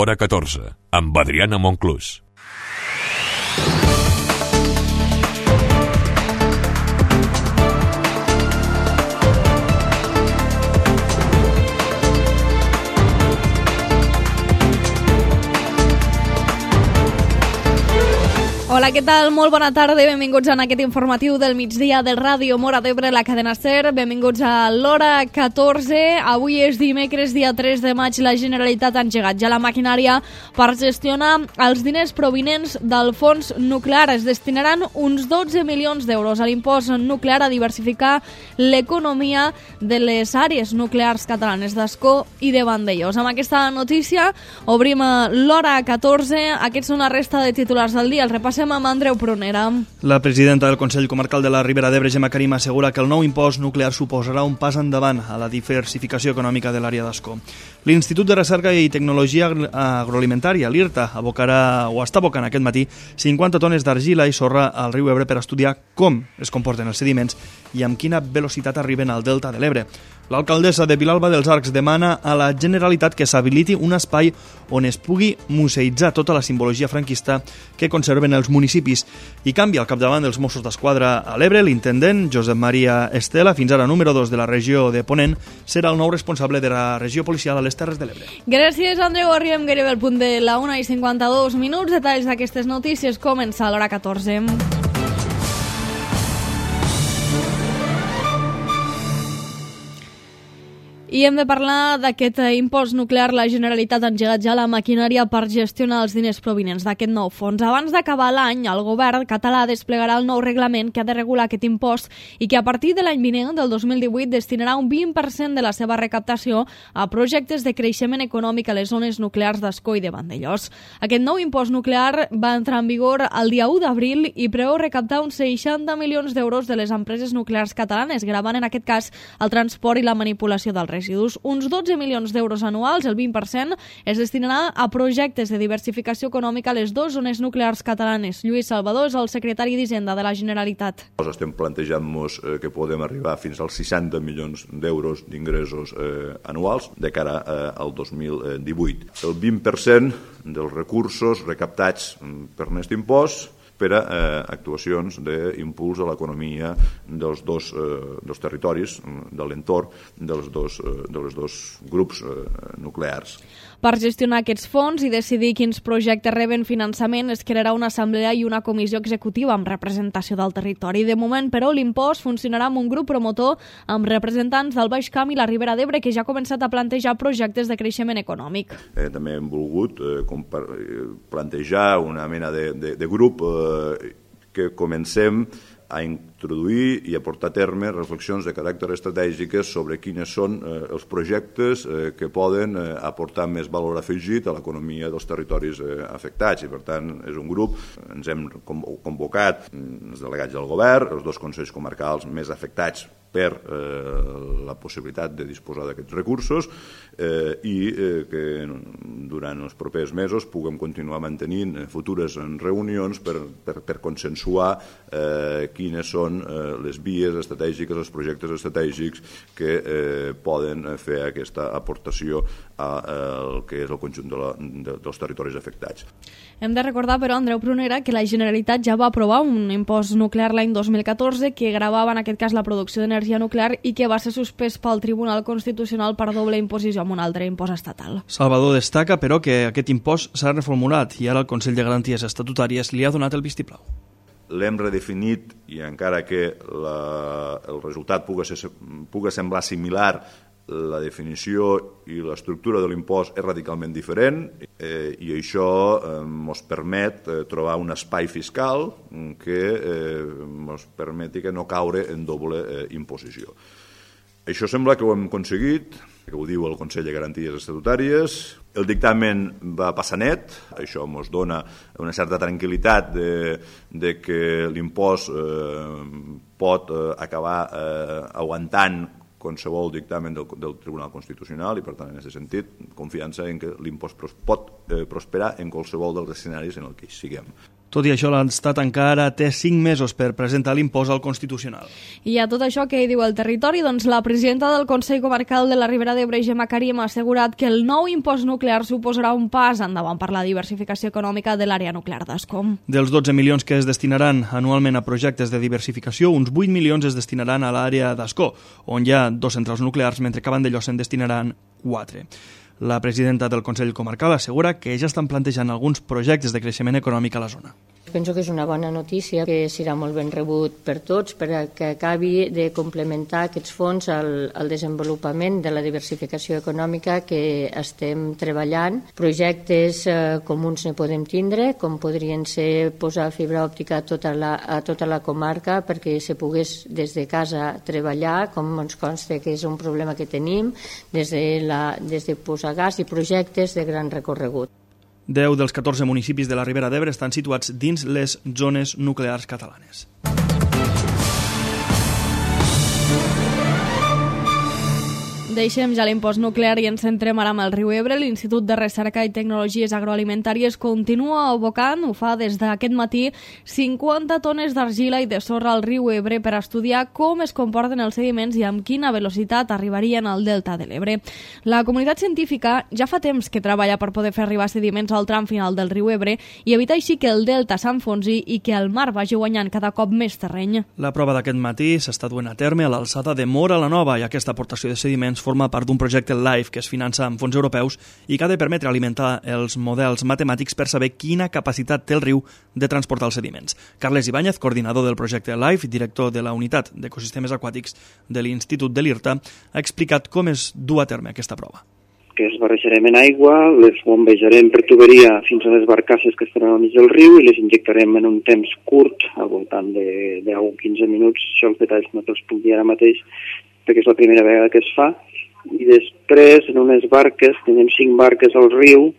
Hora 14, amb Adriana Monclús. Hola, què tal? Molt bona tarda i benvinguts a aquest informatiu del migdia del Ràdio Móra d'Ebre, la cadena SER. Benvinguts a l'Hora 14. Avui és dimecres, dia 3 de maig. La Generalitat ha engegat ja la maquinària per gestionar els diners provinents del fons nuclear. Es destinaran uns 12 milions d'euros a l'impost nuclear a diversificar l'economia de les àrees nuclears catalanes d'Ascó i de Vandellòs. Amb aquesta notícia obrim l'Hora 14. Aquests són la resta de titulars del dia. El repassem amb Andreu Prunera. La presidenta del Consell Comarcal de la Ribera d'Ebre, Gemma Karim, assegura que el nou impost nuclear suposarà un pas endavant a la diversificació econòmica de l'àrea d'Ascó. L'Institut de Recerca i Tecnologia Agroalimentària, l'IRTA, està abocant aquest matí 50 tones d'argila i sorra al riu Ebre per estudiar com es comporten els sediments i amb quina velocitat arriben al delta de l'Ebre. L'alcaldessa de Vilalba dels Arcs demana a la Generalitat que s'habiliti un espai on es pugui museïtzar tota la simbologia franquista que conserven els municipis. I canvia al capdavant dels Mossos d'Esquadra a l'Ebre. L'intendent Josep Maria Estela, fins ara número 2 de la regió de Ponent, serà el nou responsable de la regió policial a les Terres de l'Ebre. Gràcies, Andreu. Arribem gairebé al punt de la 1:52. Detalls d'aquestes notícies comença a l'Hora 14. I hem de parlar d'aquest impost nuclear. La Generalitat ha engegat ja la maquinària per gestionar els diners provinents d'aquest nou fons. Abans d'acabar l'any, el govern català desplegarà el nou reglament que ha de regular aquest impost i que a partir de l'any vinent, del 2018, destinarà un 20% de la seva recaptació a projectes de creixement econòmic a les zones nuclears d'Ascó i de Vandellòs. Aquest nou impost nuclear va entrar en vigor el dia 1 d'abril i preveu recaptar uns 60 milions d'euros de les empreses nuclears catalanes, gravant en aquest cas el transport i la manipulació del residus. Uns 12 milions d'euros anuals, el 20%, es destinarà a projectes de diversificació econòmica a les dues zones nuclears catalanes. Lluís Salvador és el secretari d'Hisenda de la Generalitat. Estem plantejant-nos que podem arribar fins als 60 milions d'euros d'ingressos anuals de cara al 2018. El 20% dels recursos recaptats per aquest impost per a actuacions d'impuls a l'economia dels territoris, de l'entorn dels dos grups nuclears. Per gestionar aquests fons i decidir quins projectes reben finançament es crearà una assemblea i una comissió executiva amb representació del territori. De moment, però, l'impost funcionarà amb un grup promotor amb representants del Baix Camp i la Ribera d'Ebre que ja ha començat a plantejar projectes de creixement econòmic. També hem volgut plantejar una mena de grup que comencem a introduir i a portar a terme reflexions de caràcter estratègic sobre quins són els projectes que poden aportar més valor afegit a l'economia dels territoris afectats. I, per tant, és un grup, ens hem convocat els delegats del govern, els dos consells comarcals més afectats per la possibilitat de disposar d'aquests recursos i que durant els propers mesos puguem continuar mantenint futures reunions per consensuar quines són les vies estratègiques, els projectes estratègics que poden fer aquesta aportació al que és el conjunt dels territoris afectats. Hem de recordar, però, Andreu Prunera, que la Generalitat ja va aprovar un impost nuclear l'any 2014 que gravava en aquest cas la producció d'energia nuclear i que va ser suspès pel Tribunal Constitucional per doble imposició amb un altre impost estatal. Salvador destaca, però, que aquest impost s'ha reformulat i ara el Consell de Garanties Estatutàries li ha donat el vistiplau. L'hem redefinit i encara que el resultat pugui semblar similar, la definició i l'estructura de l'impost és radicalment diferent i això ens permet trobar un espai fiscal que ens permeti que no caure en doble imposició. Això sembla que ho hem aconseguit, que ho diu el Consell de Garanties Estatutàries. El dictamen va passar net, això ens dona una certa tranquil·litat de que l'impost pot acabar aguantant qualsevol dictamen del Tribunal Constitucional i, per tant, en aquest sentit, confiança en que l'impost pot prosperar en qualsevol dels escenaris en el que hi siguem. Tot i això, l'Estat encara té 5 mesos per presentar l'impost al Constitucional. I a tot això, què hi diu el territori? Doncs la presidenta del Consell Comarcal de la Ribera d'Ebre, Gemma Karim, ha assegurat que el nou impost nuclear suposarà un pas endavant per la diversificació econòmica de l'àrea nuclear d'Ascó. Dels 12 milions que es destinaran anualment a projectes de diversificació, uns 8 milions es destinaran a l'àrea d'Ascó, on hi ha 2 centrals nuclears, mentre que a Vandellòs se'n destinaran 4. La presidenta del Consell Comarcal assegura que ja estan plantejant alguns projectes de creixement econòmic a la zona. Penso que és una bona notícia, que serà molt ben rebut per tots, perquè acabi de complementar aquests fons al desenvolupament de la diversificació econòmica que estem treballant. Projectes comuns ne podem tindre, com podrien ser posar fibra òptica a tota la comarca perquè se pogués des de casa treballar, com ens consta que és un problema que tenim, des de posar gas i projectes de gran recorregut. 10 dels 14 municipis de la Ribera d'Ebre estan situats dins les zones nuclears catalanes. Deixem ja l'impost nuclear i ens centrem ara amb el riu Ebre. L'Institut de Recerca i Tecnologies Agroalimentàries continua abocant, ho fa des d'aquest matí, 50 tones d'argila i de sorra al riu Ebre per estudiar com es comporten els sediments i amb quina velocitat arribarien al delta de l'Ebre. La comunitat científica ja fa temps que treballa per poder fer arribar sediments al tram final del riu Ebre i evitar així que el delta s'enfonsi i que el mar vagi guanyant cada cop més terreny. La prova d'aquest matí s'està duent a terme a l'alçada de Móra la Nova i aquesta aportació de sediments forma part d'un projecte LIFE que es finança amb fons europeus i que ha de permetre alimentar els models matemàtics per saber quina capacitat té el riu de transportar els sediments. Carles Ibáñez, coordinador del projecte LIFE, director de la unitat d'ecosistemes aquàtics de l'Institut de l'IRTA, ha explicat com es du a terme aquesta prova. Que es barrejarem en aigua, les bombejarem per tuberia fins a les barcasses que estaran al mig del riu i les injectarem en un temps curt, al voltant de 10 o 15 minuts. Això els detalls no te'ls puc dir ara mateix, perquè és la primera vegada que es fa. I després, en unes barques, tenim 5 barques al riu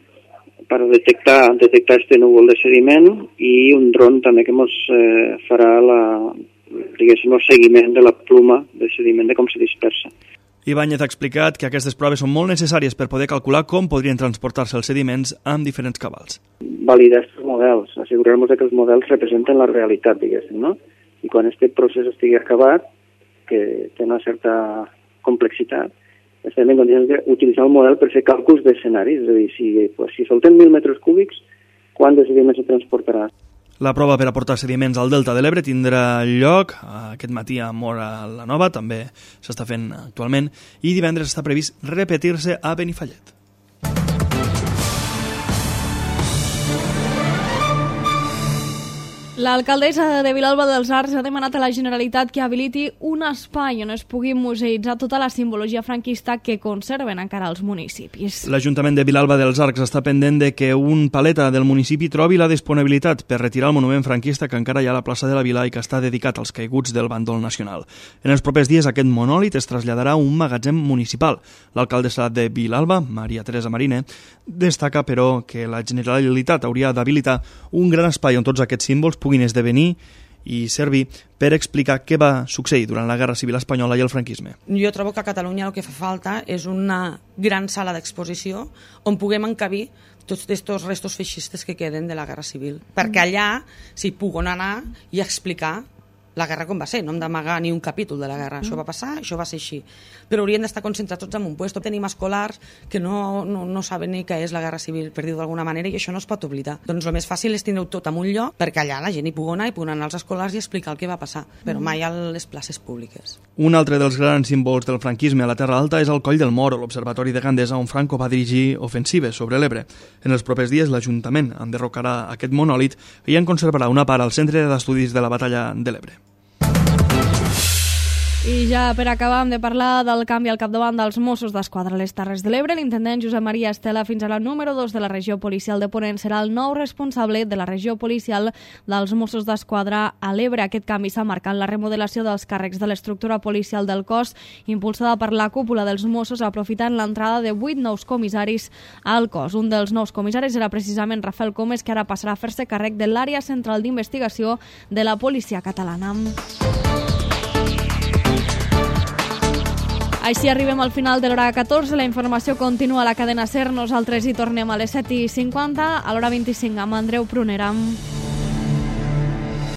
per detectar este núvol de sediment i un dron també que ens farà el seguiment de la pluma de sediment de com se dispersa. Ibáñez ha explicat que aquestes proves són molt necessàries per poder calcular com podrien transportar-se els sediments amb diferents cabals. Validar aquests models, assegurar-nos que els models representen la realitat, diguéssim, no? I quan aquest procés estigui acabat, que té una certa complexitat, estem en condicions d'utilitzar el model per fer càlculs d'escenaris, és a dir, si soltem 1.000 metres cúbics, quant de sediment se transportarà? La prova per aportar sediments al delta de l'Ebre tindrà lloc aquest matí a Móra la Nova, també s'està fent actualment, i divendres està previst repetir-se a Benifallet. L'alcaldessa de Vilalba dels Arcs ha demanat a la Generalitat que habiliti un espai on es pugui museïtzar tota la simbologia franquista que conserven encara els municipis. L'Ajuntament de Vilalba dels Arcs està pendent de que un paleta del municipi trobi la disponibilitat per retirar el monument franquista que encara hi ha a la plaça de la Vila i que està dedicat als caiguts del bàndol nacional. En els propers dies aquest monòlit es traslladarà a un magatzem municipal. L'alcaldessa de Vilalba, Maria Teresa Marine, destaca, però, que la Generalitat hauria d'habilitar un gran espai on tots aquests símbols puguin esdevenir i servir per explicar què va succeir durant la Guerra Civil Espanyola i el franquisme. Jo trobo que a Catalunya el que fa falta és una gran sala d'exposició on puguem encabir tots aquests restos feixistes que queden de la Guerra Civil. Perquè allà s'hi puguen anar i explicar la guerra com va ser, no hem d'amagar ni un capítol de la guerra. Això va passar, això va ser així. Però haurien d'estar concentrats tots en un lloc. Tenim escolars que no saben ni què és la guerra civil, per dir-ho d'alguna manera, i això no es pot oblidar. Doncs el més fàcil és tindre-ho tot en un lloc, perquè allà la gent hi pugui anar i pugui anar als escolars i explicar el que va passar, però mai a les places públiques. Un altre dels grans símbols del franquisme a la Terra Alta és el Coll del Moro, l'observatori de Gandesa on Franco va dirigir ofensives sobre l'Ebre. En els propers dies l'Ajuntament enderrocarà aquest monòlit i en conservarà una part al Centre d'Estudis de la Batalla de l'Ebre. I ja per acabar hem de parlar del canvi al capdavant dels Mossos d'Esquadra a les Terres de l'Ebre. L'intendent Josep Maria Estela, fins ara número 2 de la regió policial de Ponent, serà el nou responsable de la regió policial dels Mossos d'Esquadra a l'Ebre. Aquest canvi s'ha marcat la remodelació dels càrrecs de l'estructura policial del cos, impulsada per la cúpula dels Mossos, aprofitant l'entrada de 8 nous comissaris al cos. Un dels nous comissaris era precisament Rafael Comes, que ara passarà a fer-se càrrec de l'àrea central d'investigació de la policia catalana. Així arribem al final de l'hora 14. La informació continua a la cadena SER. Nosaltres hi tornem a les 7:50, a l'hora 25 amb Andreu Prunera.